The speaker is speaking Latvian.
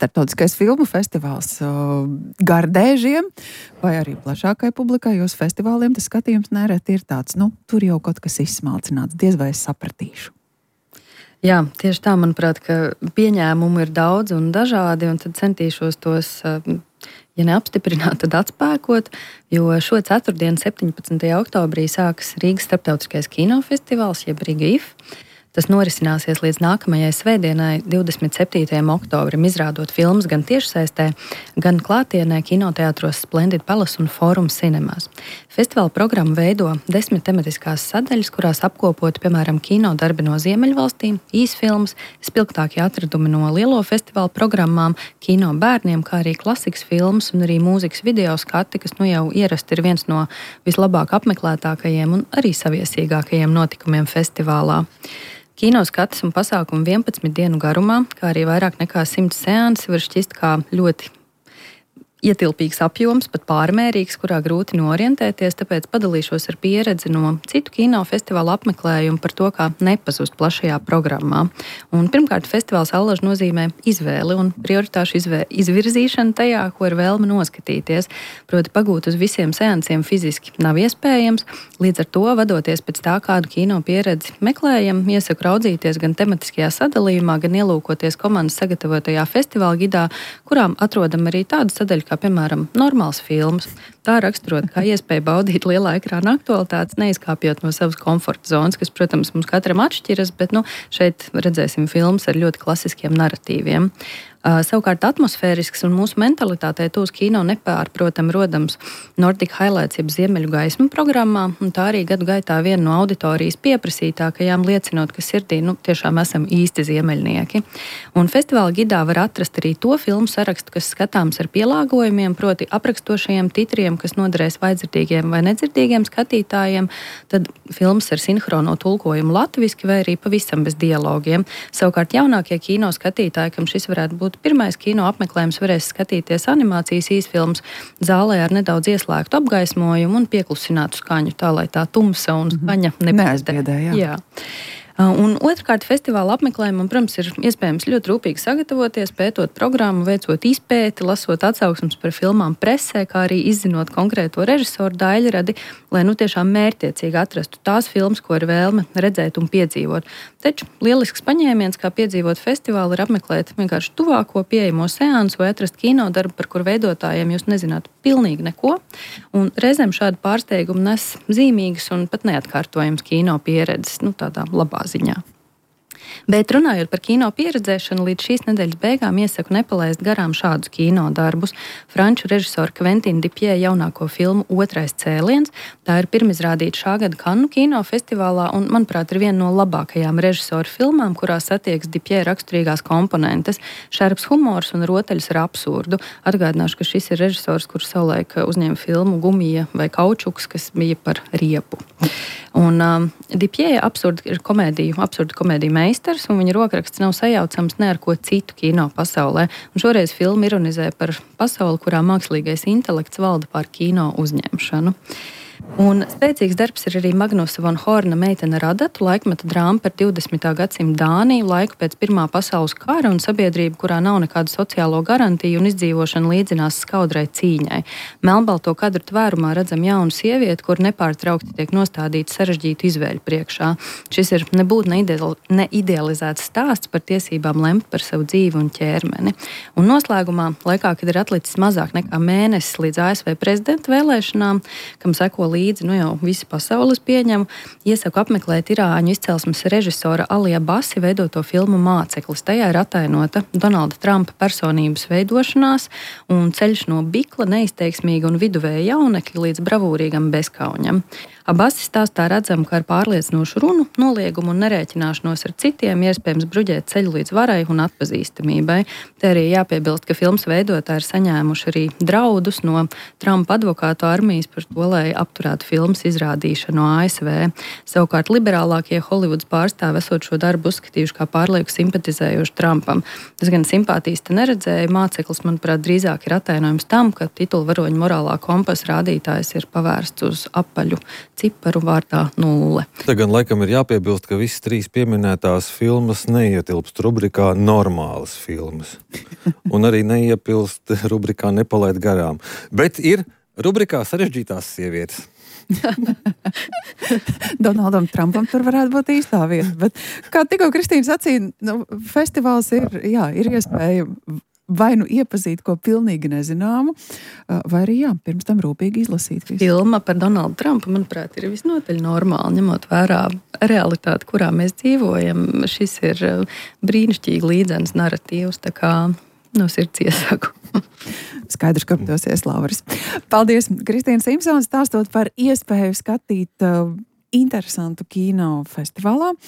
starptautiskais filmu festivāls gardēžiem, vai arī plašākai publikai, jūsu festivāliem tas skatījums nereti ir tāds, tur jau kaut kas izsmalcināts, diez vai es sapratīšu. Jā, tieši tā, manuprāt, ka pieņēmumu ir daudz un dažādi, un tad centīšos tos, ja neapstiprināt, tad atspēkot, jo šo ceturtdienu, 17. oktobrī, sākas Rīgas starptautiskais kinofestivāls, jeb Riga IF. Tas norisināsies līdz nākamajai svētdienai, 27. oktobrim, izrādot filmas gan tiešsaistē, gan klātienē kinoteātros Splendid Palace un Forum Cinemas. Festivāla programmu veido 10 tematiskās sadaļas, kurās apkopot, piemēram, kino darbi no Ziemeļvalstīm, īsfilmas, spilgtākie atradumi no lielo festivāla programmām, kino bērniem, kā arī klasikas filmas un arī mūzikas video skati, kas jau ierasti ir viens no vislabāk apmeklētākajiem un arī saviesīgākajiem notikumiem festivālā. Kino skatas un pasākumu 11 dienu garumā, kā arī vairāk nekā 100 seansi var šķist kā ļoti ietilpīgs apjoms, pat pārmērīgs, kurā grūti norientēties, tāpēc padalīšos ar pieredzi no citu kinofestivālu apmeklējumu par to, kā nepazust plašajā programmā. Un pirmkārt, festivāls allaž nozīmē izvēli un prioritāšu izvirzīšanu tajā, ko ir vēlme noskatīties. Proti pagūt uz visiem seansiem fiziski nav iespējams, līdz ar to vadoties pēc tā, kādu kino pieredzi meklējam, iesaku raudzīties gan tematiskajā sadalījumā, gan ielūkoties komandas sagatavotajā festivāla gidā, kurām atrodam arī tādu sadaļu, kā piemēram normāls filmas. Tā raksturot, kā iespēja baudīt lielā ekrāna aktualitātes, neizkāpjot no savas komforta zonas, kas, protams, mums katram atšķiras, bet šeit redzēsim filmas ar ļoti klasiskiem naratīviem. Savukārt atmosfērisks un mūsu mentalitātei tūs kino nepārprotam rodams Nordic Highlights jeb Ziemeļu gaismu programmā, un tā arī gadu gaitā viena no auditorijas pieprasītākajām, liecinot, ka sirdī tiešām esam īsti ziemeļnieki. Un festivāla gidā var atrast arī to filmu sarakstu, kas skatāms ar pielāgojumiem, proti aprakstošajiem titriem, kas noderēs vaidzirdīgiem vai nedzirdīgiem skatītājiem, tad filmas ar sinhrono tulkojumu latviski vai arī pavisam bez dialogiem. Savukārt jaunākie kino skatītāji, kam šis varētu būt pirmais kino apmeklējums, varēs skatīties animācijas īsfilmas zālē ar nedaudz ieslēgtu apgaismojumu un pieklusinātu skaņu, tā lai tā tumsa un skaņa neaizbiedē. Jā. Un otrkārt, festivāla apmeklējumam, protams, ir iespējams ļoti rūpīgi sagatavoties, pētot programmu, veicot izpēti, lasot atsauksmes par filmām presē, kā arī izzinot konkrēto režisoru daļradi, lai tiešām mērķtiecīgi atrastu tās filmas, ko ir vēlme redzēt un piedzīvot. Taču lielisks paņēmiens, kā piedzīvot festivālu, ir apmeklēt vienkārši tuvāko pieejamo seansu vai atrast kino darbu, par kur veidotājiem jūs nezinātu pilnīgi neko. Un reizēm šādi pārsteigumi nes zīmīgas un pat neatkārtojams kino pieredzes, tādā labā ziņā. Bet runājot par kino pieredzēšanu, līdz šīs nedēļas beigām iesaku nepalaist garām šādus kino darbus. Franču režisora Quentina Dupieux jaunāko filmu Otrais cēliens. Tā ir pirmizrādīta šā gada Kannu kinofestivālā un, manuprāt, ir viena no labākajām režisora filmām, kurā satiekas Dupieux raksturīgās komponentes - šarps humors un rotaļas ar absurdu. Atgādināšu, ka šis ir režisors, kurš savulaik uzņēma filmu Gumija vai Kaučuks, kas bija par riepu. Un Dupieux ir absurdu komēdiju meistars, un viņa rokraksts nav sajaucams ne ar ko citu kino pasaulē. Un šoreiz filma ironizē par pasauli, kurā mākslīgais intelekts valda pār kino uzņemšanu. Un spēcīgs darbs ir arī Magnusa von Horna Meitene Radatu, laikmeta drāma par 20. gadsimta Dāniju, laiku pēc Pirmā pasaules kara un sabiedrību, kurā nav nekādu sociālo garantiju un izdzīvošana līdzinās skaudrai cīņai. Melnbalto kadru tvērumā redzam jaunu sievieti, kur nepārtraukti tiek nostādīta sarežģītu izvēļu priekšā. Šis ir nebūtu neidealizēts stāsts par tiesībām lemt par savu dzīvi un ķermeni. Un noslēgumā, laikā, kad ir atlicis mazāk nekā mēnesis līdz ASV prezidenta vēlēšanām, kam seko līdzi, jau visi pasaules pieņem, iesaku apmeklēt irāņu izcelsmes režisora Alija Basi veidoto filmu Māceklis. Tajā ir atainota Donalda Trumpa personības veidošanās un ceļš no bikla, neizteiksmīga un viduvēja jaunekļa līdz bravūrīgam bezkauņam. Abasi stāstā redzam, ka ar pārliecinošu runu, noliegumu un nerēķināšanos ar citiem iespējams bruģēt ceļu līdz varai un atpazīstamībai. Te arī jāpiebilst, ka filmas veidotāji ir saņēmuši arī draudus no Trumpa advokātu armijas par to, lai apturētu filmas izrādīšanu ASV. Savukārt liberālākie Holivudas pārstāvi esot šo darbu uzskatījuši kā pārlieku simpatizējuši Trumpam. Es gan simpātijas te neredzēju, Māceklis, manuprāt, drīzāk ir atainojums tam, ka titulvaroņa morālā kompasa rādītājs ir pavērsts uz apaļu ciparu vārdā 0. Te gan laikam ir jāpiebilst, ka visas 3 pieminētās filmas neietilpst rubrikā normālas filmas. Un arī neietilpst rubrikā nepalaid garām. Bet ir rubrikā sarežģītās sievietes. Donaldam Trumpam tur varētu būt īstā vieta. Bet, kā tikko Kristīna sacīja, festivāls ir iespēja vai nu iepazīt ko pilnīgi nezināmu, vai arī pirms tam rūpīgi izlasīt visu. Filma par Donaldu Trumpu, manuprāt, ir visnotaļ normāli, ņemot vērā realitāti, kurā mēs dzīvojam. Šis ir brīnišķīgi līdzenas naratīvs, tā kā no sirds iesaku. Skaidrs, ka dosies Lauris. Paldies, Kristīna Simpsons, stāstot par iespēju skatīt interesantu kino festivālā.